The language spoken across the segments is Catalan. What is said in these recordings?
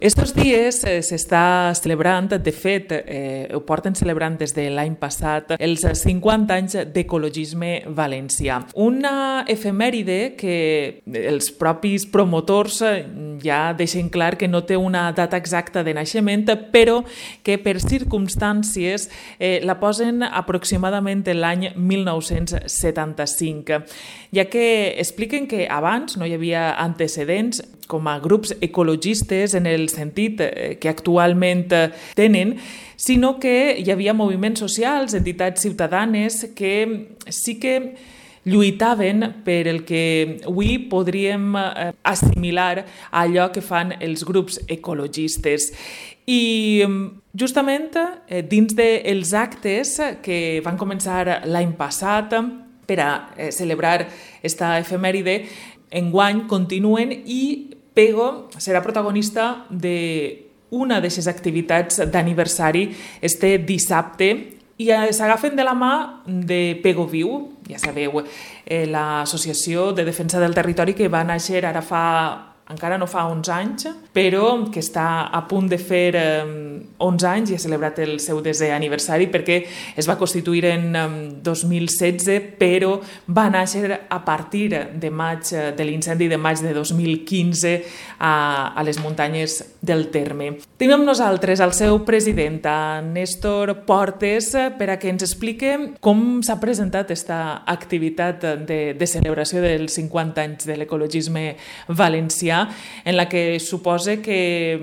Estos dies s'està celebrant, de fet, ho porten celebrant des de l'any passat, els 50 anys d'ecologisme valencià. Una efemèride que els propis promotors ja deixen clar que no té una data exacta de naixement, però que per circumstàncies la posen aproximadament l'any 1975, ja que expliquen que abans no hi havia antecedents com a grups ecologistes en el sentit que actualment tenen, sinó que hi havia moviments socials, entitats ciutadanes que sí que lluitaven per el que avui podríem assimilar a allò que fan els grups ecologistes. I justament dins dels actes que van començar l'any passat per a celebrar esta efemèride, enguany continuen i Pego serà protagonista d'una d'aquestes activitats d'aniversari este dissabte i s'agafen de la mà de Pego Viu, ja sabeu, l'associació de defensa del territori que va néixer ara encara no fa 11 anys, però que està a punt de fer 11 anys i ha celebrat el seu desè aniversari perquè es va constituir en 2016, però va néixer a partir de l'incendi de maig de 2015 a les muntanyes del Terme. Tenim amb nosaltres el seu president, Néstor Portes, per a que ens explique com s'ha presentat aquesta activitat de celebració dels 50 anys de l'ecologisme valencià, en la que supose que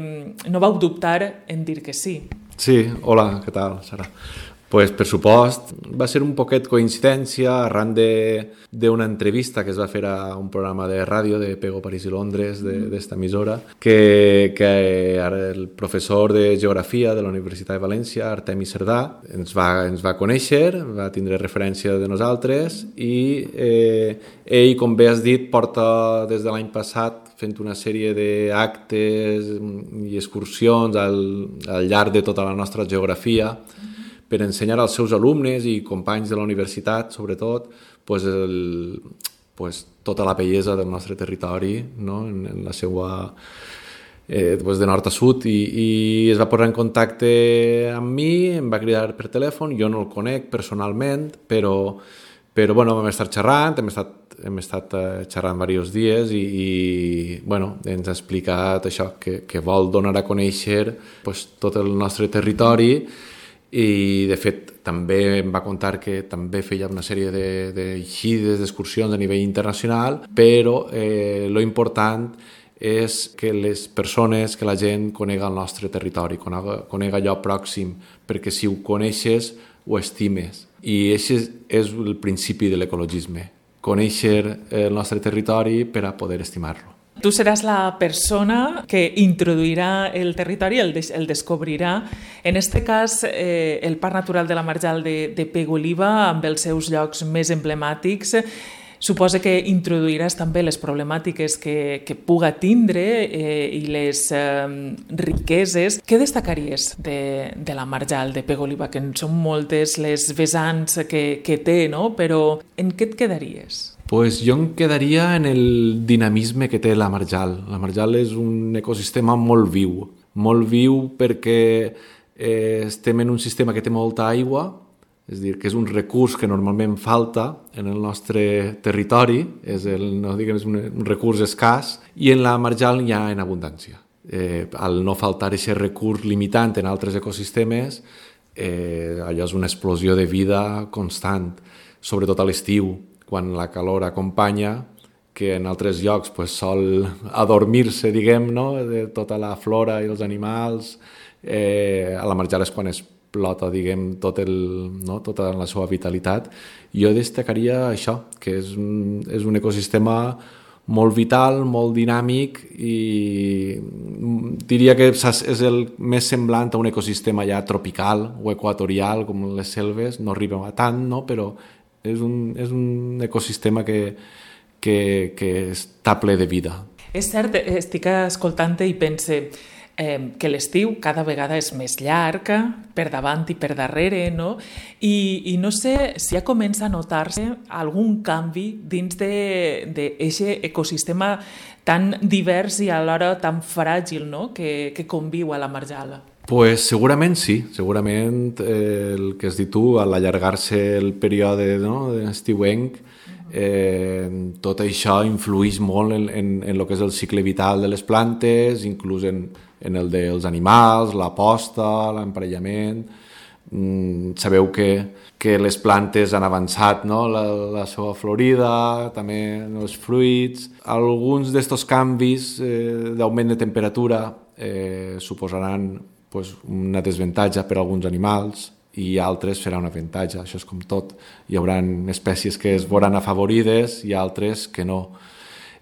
no vau dubtar en dir que sí. Sí, hola, què tal, Sara? Pues, per supost, va ser un poquet coincidència arran d'una entrevista que es va fer a un programa de ràdio de Pego París i Londres, d'esta emissora, que el professor de Geografia de la Universitat de València, Artemi Cerdà, ens va conèixer, va tindre referència de nosaltres i ell, com bé has dit, porta des de l'any passat fent una sèrie d'actes i excursions al llarg de tota la nostra geografia per ensenyar als seus alumnes i companys de la universitat, sobretot, tota la bellesa del nostre territori, no? En la seva de nord a sud, i es va posar en contacte amb mi, em va cridar per telèfon, jo no el conec personalment, però bueno, vam estar xerrant, hem estat xerrant diversos dies i ens ha explicat això, que vol donar a conèixer tot el nostre territori. I de fet també em va contar que també feia una sèrie d'eixides, d'excursions a nivell internacional, però lo important és que les persones, que la gent conega el nostre territori, conega allò pròxim, perquè si ho coneixes ho estimes. I aquest és el principi de l'ecologisme, conèixer el nostre territori per a poder estimar-lo. Tu seràs la persona que introduirà el territori, el descobrirà. En aquest cas, el Parc Natural de la Marjal de Pego-Oliva, amb els seus llocs més emblemàtics, suposa que introduiràs també les problemàtiques que puga tindre i les riqueses. Què destacaries de la Marjal de Pego-Oliva? Que en són moltes les vessants que té, no? Però en què et quedaries? Pues jo em quedaria en el dinamisme que té la Marjal. La Marjal és un ecosistema molt viu perquè estem en un sistema que té molta aigua, és a dir, que és un recurs que normalment falta en el nostre territori, és un recurs escàs, i en la Marjal hi ha en abundància. Al no faltar aquest recurs limitant en altres ecosistemes, allò és una explosió de vida constant, sobretot a l'estiu, quan la calor acompanya, que en altres llocs sol adormir-se, no?, de tota la flora i els animals. A la Marjal és quan explota, tota la seva vitalitat. Jo destacaria això, que és un ecosistema molt vital, molt dinàmic, i diria que és el més semblant a un ecosistema ja tropical o equatorial, com les selves. No arriba a tant, no?, però és un ecosistema que està ple de vida. És cert, estic escoltant-te i pense, que l'estiu cada vegada és més llarg, per davant i per darrere, no? I no sé si ja comença a notar-se algun canvi dins d'aquest ecosistema tan divers i alhora tan fràgil, no? que conviu a la Marjal. Pues segurament sí, segurament el que has dit tu, a l'allargar-se el període estiuenc, tot això influeix molt en el que és el cicle vital de les plantes, inclús en el dels animals, la posta, l'emparellament. Sabeu que les plantes han avançat, no? la seva florida, també els fruits. Alguns d'aquests canvis d'augment de temperatura suposaran una desavantatge per a alguns animals, i altres serà un avantatge. Això és com tot. Hi haurà espècies que es veuran afavorides i altres que no.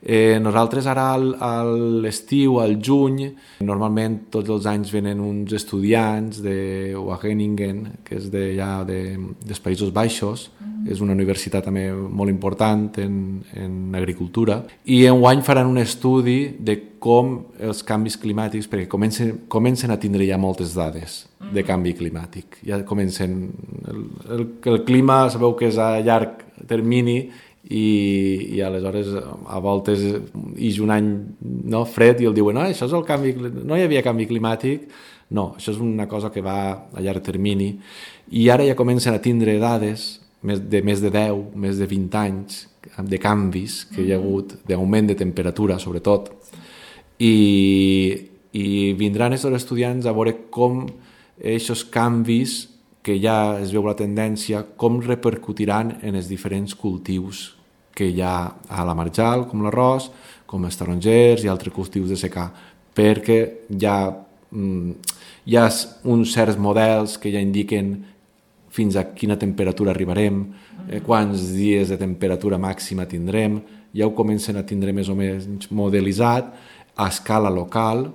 Nosaltres ara a l'estiu, al juny, normalment tots els anys venen uns estudiants de Wageningen, que és dels Països Baixos, és una universitat també molt important en agricultura, i enguany faran un estudi de com els canvis climàtics, perquè comencen a tindre ja moltes dades de canvi climàtic. Ja comencen... El clima sabeu que és a llarg termini, i aleshores a voltes hi ha un any fred i el diuen això és el canvi, no hi havia canvi climàtic. No, això és una cosa que va a llarg termini, i ara ja comencen a tindre dades de més de 10, més de 20 anys de canvis que hi ha hagut, d'augment de temperatura sobretot, i vindran aquests estudiants a veure com aquests canvis, que ja es veu la tendència, com repercutiran en els diferents cultius que hi ha a la Marjal, com l'arròs, com els tarongers i altres cultius de secà, perquè hi ha uns certs models que ja indiquen fins a quina temperatura arribarem, quants dies de temperatura màxima tindrem, ja ho comencen a tindre més o menys modelitzat a escala local,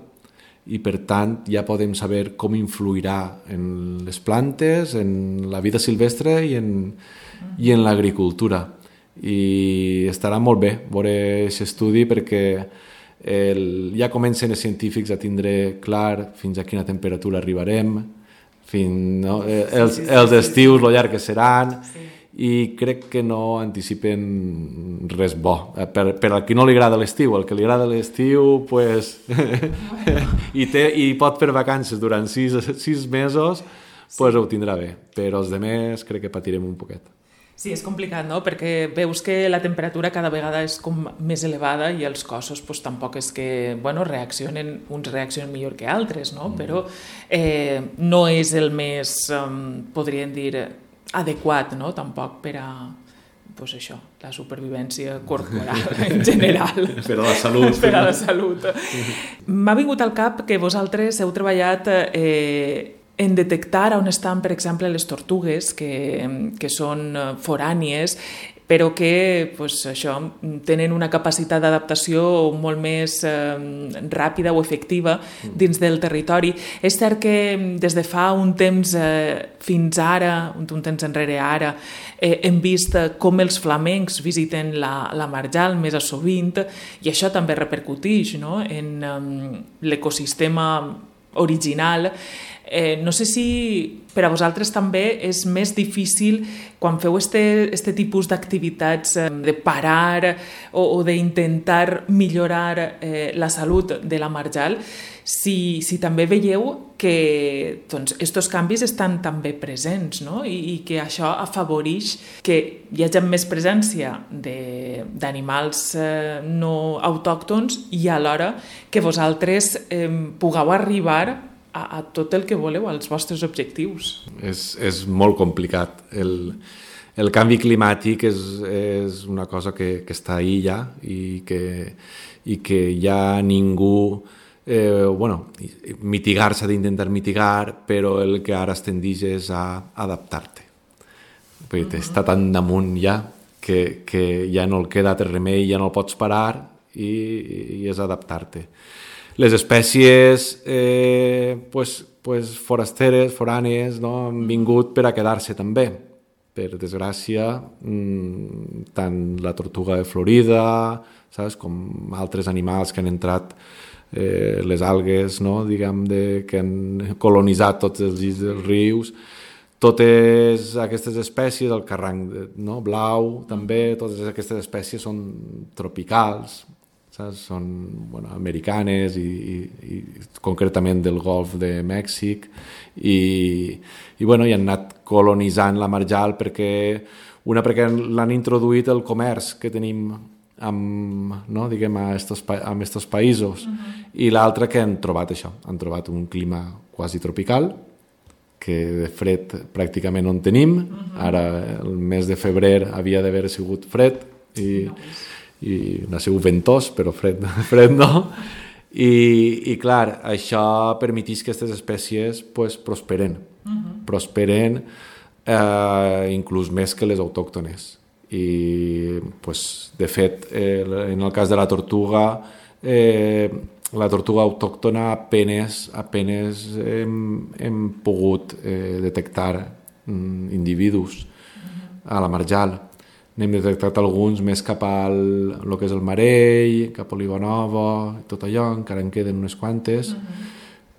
i per tant ja podem saber com influirà en les plantes, en la vida silvestre i en l'agricultura. I estarà molt bé veure aquest estudi, perquè ja comencen els científics a tindre clar fins a quina temperatura arribarem, els estius, lo llarg que seran, i crec que no anticipen res bo. Per al qui no li agrada l'estiu, el que li agrada l'estiu i pot fer vacances durant 6 mesos, ho tindrà bé, però els demés crec que patirem un poquet. Sí, és complicat, no? Perquè veus que la temperatura cada vegada és com més elevada i els cossos tampoc és que reaccionen, uns reaccionen millor que altres, no? Però no és el més, podríem dir, adequat, no? Tampoc per a la supervivència corporal en general. Per a la salut. Per a la salut. M'ha vingut al cap que vosaltres heu treballat en detectar on estan, per exemple, les tortugues, que són forànies, però que tenen una capacitat d'adaptació molt més ràpida o efectiva dins del territori. És cert que des de fa un temps fins ara, un temps enrere ara, hem vist com els flamencs visiten la Marjal més a sovint, i això també repercuteix en l'ecosistema original. No sé si per a vosaltres també és més difícil quan feu este tipus d'activitats de parar o d'intentar millorar la salut de la Marjal, si també veieu que estos canvis estan també presents, no? I que això afavoreix que hi hagi més presència d'animals no autòctons i alhora que vosaltres pugueu arribar a tot el que voleu, als vostres objectius. És molt complicat. El canvi climàtic és una cosa que està ahí ja, i que ja ningú... mitigar s'ha d'intentar mitigar, però el que ara es tendeix és a adaptar-te. Està tan damunt ja que ja no el queda altre remei, ja no el pots parar, i és adaptar-te. Les espècies forasteres, forànies, han vingut per a quedar-se també. Per desgràcia, tant la tortuga de Florida, com altres animals que han entrat les algues, no? Diguem, que han colonitzat tots els llits dels rius. Totes aquestes espècies, el carranc, no? Blau, també, totes aquestes espècies són tropicals, saps? Són americanes i concretament del Golf de Mèxic i han anat colonitzant la marjal perquè l'han introduït el comerç que tenim diguem, a estos països i l'altra que han trobat això, han trobat un clima quasi tropical que de fred pràcticament no en tenim. Ara el mes de febrer havia d'haver sigut fred i no ha sigut ventós, però fred no. I clar, això permeteix que aquestes espècies prosperen. Prosperen inclús més que les autòctones. I, de fet, en el cas de la tortuga autòctona apenes hem pogut detectar individus a la marjal. N'hem detectat alguns més cap al que és el Marell, cap a Olivanova, tot allò, encara en queden unes quantes,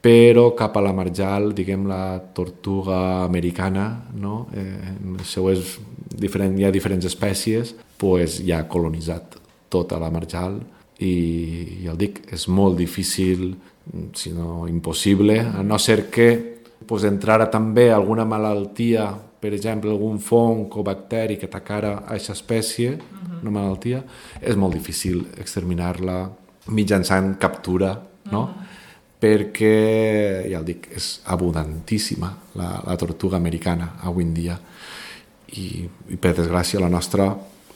però cap a la marjal, diguem, la tortuga americana, no? Hi ha diferents espècies, ja ha colonitzat tota la marjal i ja el dic, és molt difícil, si no impossible, a no ser que entrara també alguna malaltia, per exemple, algun fong o bacteri que atacara a aquesta espècie, una malaltia, és molt difícil exterminar-la mitjançant captura, no? Perquè, ja el dic, és abundantíssima la tortuga americana avui en dia i per desgràcia la nostra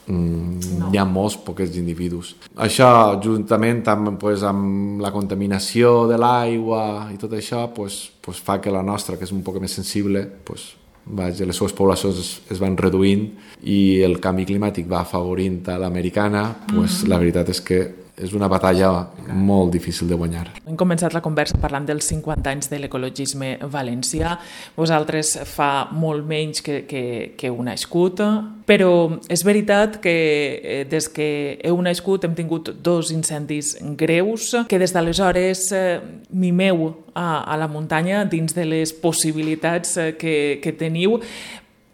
hi ha molts pocs individus. Això, juntament amb la contaminació de l'aigua i tot això, fa que la nostra, que és un poc més sensible, les seves poblacions es van reduint i el canvi climàtic va afavorint a l'americana, la veritat és que és una batalla molt difícil de guanyar. Hem començat la conversa parlant dels 50 anys de l'ecologisme valencià. Vosaltres fa molt menys que heu nascut, però és veritat que des que heu nascut hem tingut 2 incendis greus, que des d'aleshores mimeu a la muntanya dins de les possibilitats que teniu.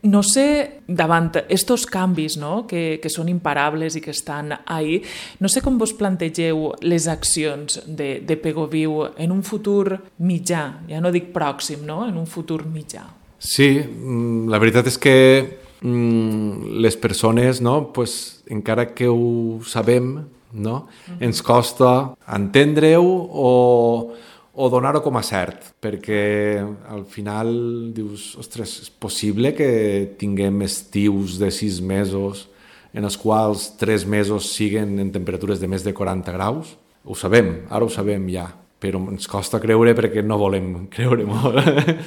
No sé, davant estos canvis, no? que són imparables i que estan ahí, no sé com vos plantegeu les accions de Pegoviu en un futur mitjà, ja no dic pròxim, no? En un futur mitjà. Sí, la veritat és que les persones, no? Encara que ho sabem, no? Ens costa entendre-ho o donar-ho com a cert, perquè al final dius, ostres, és possible que tinguem estius de 6 mesos en els quals 3 mesos siguen en temperatures de més de 40 graus? Ho sabem, ara ho sabem ja, però ens costa creure perquè no volem creure molt.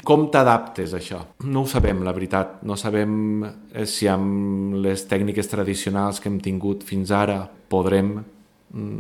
Com t'adaptes a això? No ho sabem, la veritat. No sabem si amb les tècniques tradicionals que hem tingut fins ara podrem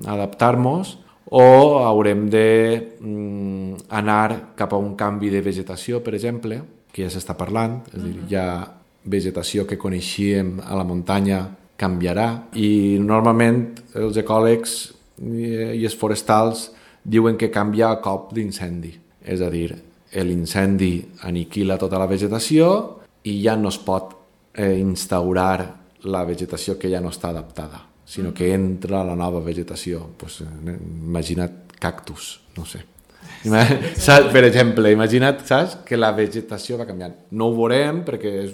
adaptar-nos o haurem d'anar cap a un canvi de vegetació, per exemple, que ja s'està parlant, és a dir, hi ha vegetació que coneixíem a la muntanya canviarà i normalment els ecòlegs i els forestals diuen que canvia a cop d'incendi, és a dir, l'incendi aniquila tota la vegetació i ja no es pot instaurar la vegetació que ja no està adaptada, sinó que entra la nova vegetació. Imagina't cactus, no sé. Per exemple, imagina't, saps, que la vegetació va canviant. No ho veurem perquè és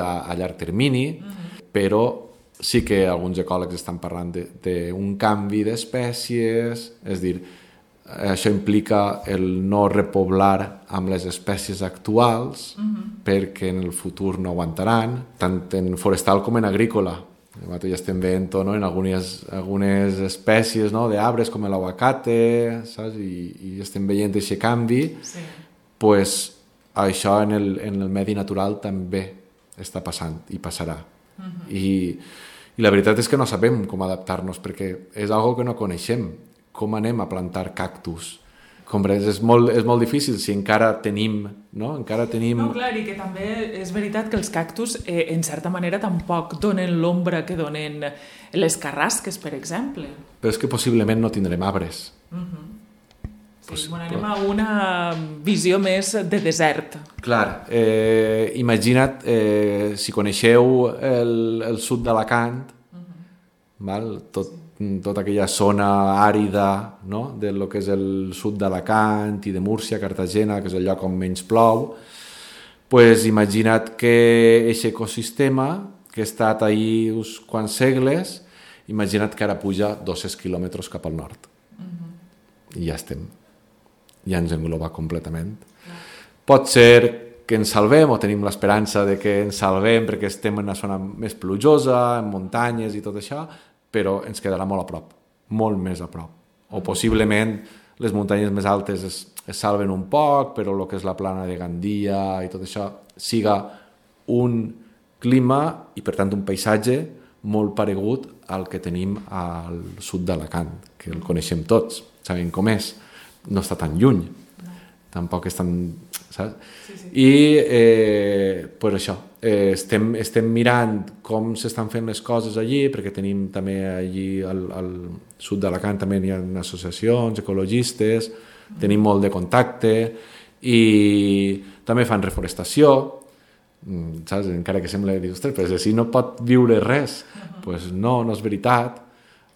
a llarg termini, però sí que alguns ecòlegs estan parlant d'un canvi d'espècies, és a dir, això implica el no repoblar amb les espècies actuals perquè en el futur no aguantaran, tant en forestal com en agrícola. Ja estem veient en algunes espècies d'arbres com l'aguacate, saps? I estem veient aquest canvi. Sí. Això en el medi natural també està passant i passarà. I la veritat és que no sabem com adaptar-nos perquè és algo que no coneixem. Com anem a plantar cactus? És molt difícil si encara tenim... No, clar, i que també és veritat que els cactus, en certa manera, tampoc donen l'ombra que donen les carrasques, per exemple. Però és que possiblement no tindrem arbres. Sí, bueno, anem a una visió més de desert. Clar, imagina't, si coneixeu el sud d'Alacant, val? Tota aquella zona àrida, no? de lo que és el sud d'Alacant i de Múrcia, Cartagena, que és el lloc on menys plou, pues imagina't que aquest ecosistema, que ha estat ahí uns quants segles, imagina't que ara puja 200 quilòmetres cap al nord. I ja estem. Ja ens engloba completament. Pot ser que ens salvem, o tenim l'esperança de que ens salvem perquè estem en una zona més plujosa, en muntanyes i tot això, però ens quedarà molt a prop, molt més a prop. O possiblement les muntanyes més altes es salven un poc, però el que és la plana de Gandia i tot això siga un clima i per tant un paisatge molt paregut al que tenim al sud d'Alacant, que el coneixem tots, sabem com és, no està tan lluny, tampoc és tan... saps? Sí. I pues això, estem mirant com s'estan fent les coses allí, perquè tenim també allí al sud d'Alacant també hi ha associacions ecologistes, tenim molt de contacte i també fan reforestació, saps? Encara que sembla dir, ostres, però si no pot viure res, pues no és veritat.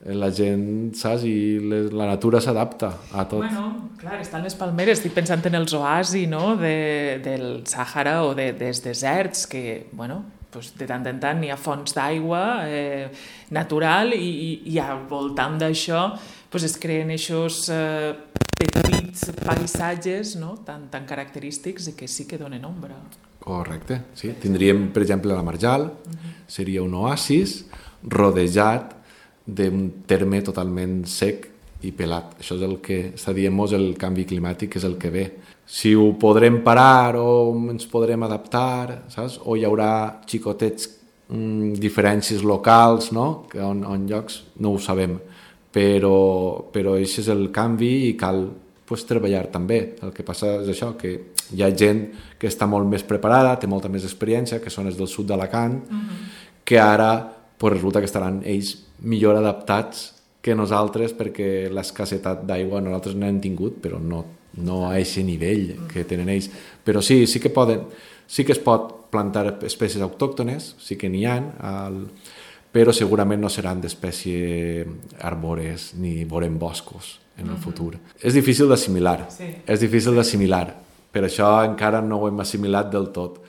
La gent, saps? I la natura s'adapta a tot. Bueno, clar, estan les palmeres, estic pensant en els oasis, no?, del Sàhara o dels deserts, que, bueno, pues de tant en tant hi ha fonts d'aigua natural i al voltant d'això pues es creen aquests petits paisatges, no?, tan característics i que sí que donen ombra. Correcte, sí. Tindríem, per exemple, la Marjal, seria un oasis rodejat d'un terme totalment sec i pelat. Això és el que està dient-nos el canvi climàtic, és el que ve. Si ho podrem parar o ens podrem adaptar, saps? O hi haurà xicotets diferències locals, no? On llocs no ho sabem, però aquest és el canvi i cal pues, treballar també. El que passa és això, que hi ha gent que està molt més preparada, té molta més experiència, que són els del sud d'Alacant, que ara pues, resulta que estaran ells millor adaptats que nosaltres perquè l'escassetat d'aigua nosaltres n'hem tingut, però no a aquest nivell que tenen ells. Però sí que es pot plantar espècies autòctones, sí que n'hi ha, però segurament no seran d'espècies arbores ni veurem boscos en el futur. És difícil d'assimilar, per això encara no ho hem assimilat del tot,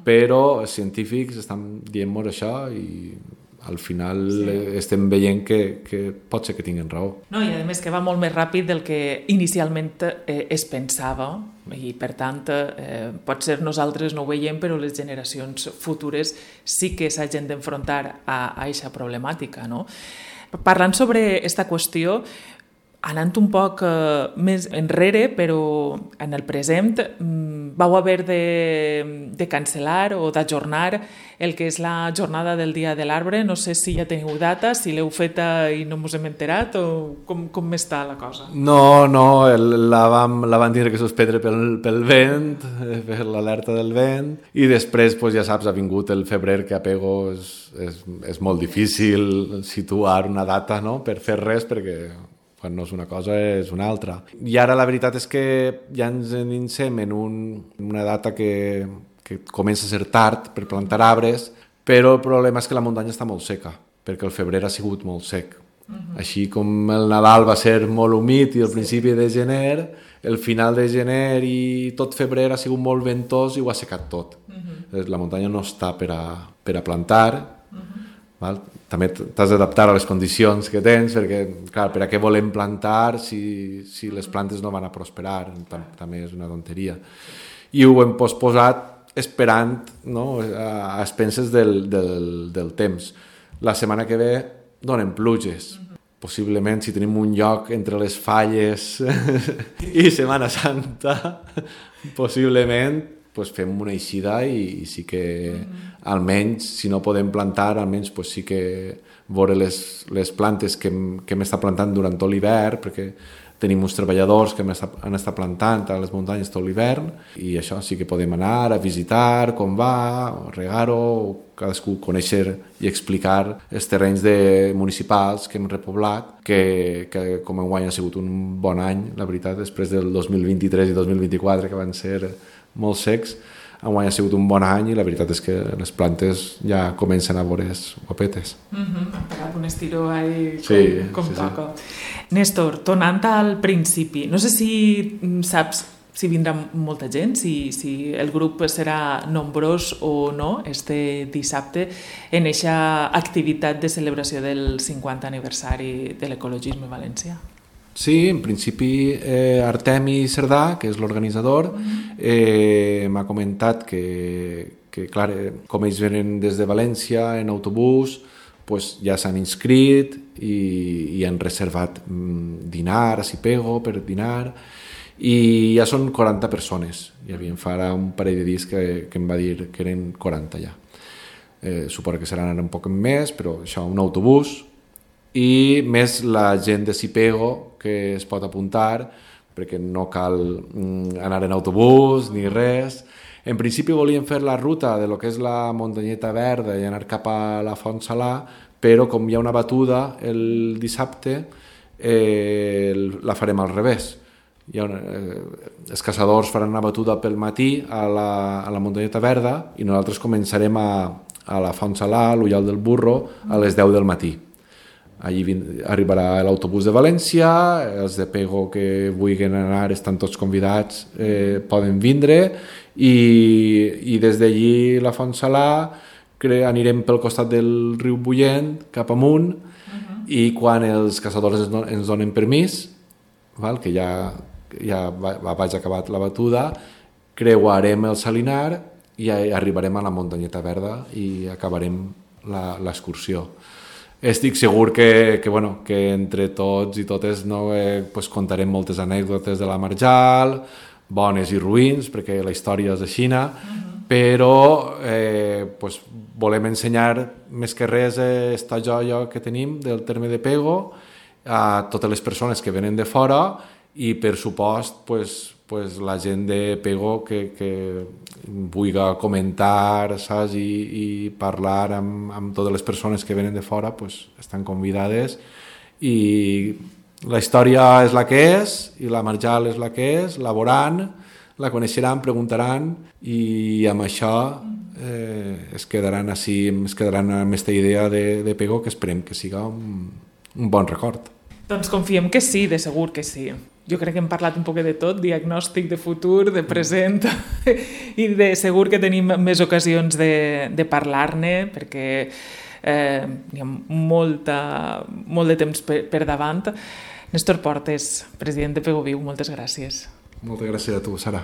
però els científics estan dient-nos això i al final estem veient que pot ser que tinguin raó. No, i a més que va molt més ràpid del que inicialment es pensava i per tant pot ser nosaltres no ho veiem però les generacions futures sí que s'hagin d'enfrontar a aquesta problemàtica, no? Parlant sobre aquesta qüestió, anant un poc més enrere, però en el present, vau haver de cancel·lar o d'ajornar el que és la jornada del Dia de l'Arbre. No sé si ja teniu data, si l'heu feta i no us hem enterat o com està la cosa? No, la vam tindre que suspendre pel vent, per l'alerta del vent, i després, ja saps, ha vingut el febrer, que a Pego és molt difícil situar una data, no?, per fer res, perquè quan no és una cosa és una altra. I ara la veritat és que ja ens ininciem en una data que comença a ser tard per plantar arbres, però el problema és que la muntanya està molt seca, perquè el febrer ha sigut molt sec. Així com el Nadal va ser molt humit i el principi de gener, el final de gener i tot febrer ha sigut molt ventós i ho ha secat tot. La muntanya no està per a plantar, val? També t'has d'adaptar a les condicions que tens, perquè, clar, per a què volem plantar si les plantes no van a prosperar? També és una tonteria. I ho hem posposat esperant, no?, a expenses del temps. La setmana que ve donen pluges. Possiblement, si tenim un lloc entre les falles i Setmana Santa, possiblement fem una eixida i sí que almenys, si no podem plantar, almenys sí que veure les plantes que hem estat plantant durant tot l'hivern, perquè Tenim uns treballadors que han estat plantant a les muntanyes tot l'hivern i això sí que podem anar a visitar com va, regar-ho, cadascú conèixer i explicar els terrenys municipals que hem repoblat, que com enguany ha sigut un bon any, la veritat, després del 2023 i 2024, que van ser molt secs. Enguany ha sigut un bon any i la veritat és que les plantes ja comencen a veure's guapetes. Per algun estiró ahí com sí, toca. Sí. Néstor, tornant al principi, no sé si saps si vindrà molta gent, si el grup serà nombrós o no este dissabte en eixa activitat de celebració del 50 aniversari de l'ecologisme valencià. Sí, en principi Artemi Cerdà, que és l'organitzador, m'ha comentat que clar, com ells venen des de València en autobús, pues ja s'han inscrit i han reservat dinar a Sipego per dinar i ja són 40 persones. Ja havien farà un parell de dies que em va dir que eren 40 ja. Suposo que seran ara un poc més, però això, un autobús i més la gent de Sipego que es pot apuntar perquè no cal anar en autobús ni res. En principi volíem fer la ruta de lo que és la muntanyeta verda i anar cap a la Font Salà, però com hi ha una batuda el dissabte la farem al revés. Els caçadors faran una batuda pel matí a la muntanyeta verda i nosaltres començarem a la Font Salà, a l'Ullal del Burro, a les 10 del matí. Allí arribarà l'autobús de València, els de Pego que vulguin anar estan tots convidats, poden vindre i des d'allí la Font Salà anirem pel costat del riu Bullent cap amunt i quan els caçadors ens donen permís, que ja vaig acabat la batuda, creuarem el Salinar i arribarem a la muntanyeta verda i acabarem l'excursió. Estic segur que entre tots i totes contarem moltes anècdotes de la Marjal, bones i ruïns, perquè la història és així, però volem ensenyar més que res esta joia que tenim del terme de Pego a totes les persones que venen de fora i, per supost, la gent de Pego que vulgui comentar, saps, i parlar amb totes les persones que venen de fora, estan convidades i la història és la que és i la Marjal és la que és, la veuran, la coneixeran, preguntaran i amb això es quedaran amb aquesta idea de Pego que esperem que siga un bon record. Doncs confiem que sí, de segur que sí. Jo crec que hem parlat un poc de tot, diagnòstic de futur, de present, i de segur que tenim més ocasions de parlar-ne, perquè hi ha molt de temps per davant. Néstor Portes, president de Pego Viu, moltes gràcies. Moltes gràcies a tu, Sara.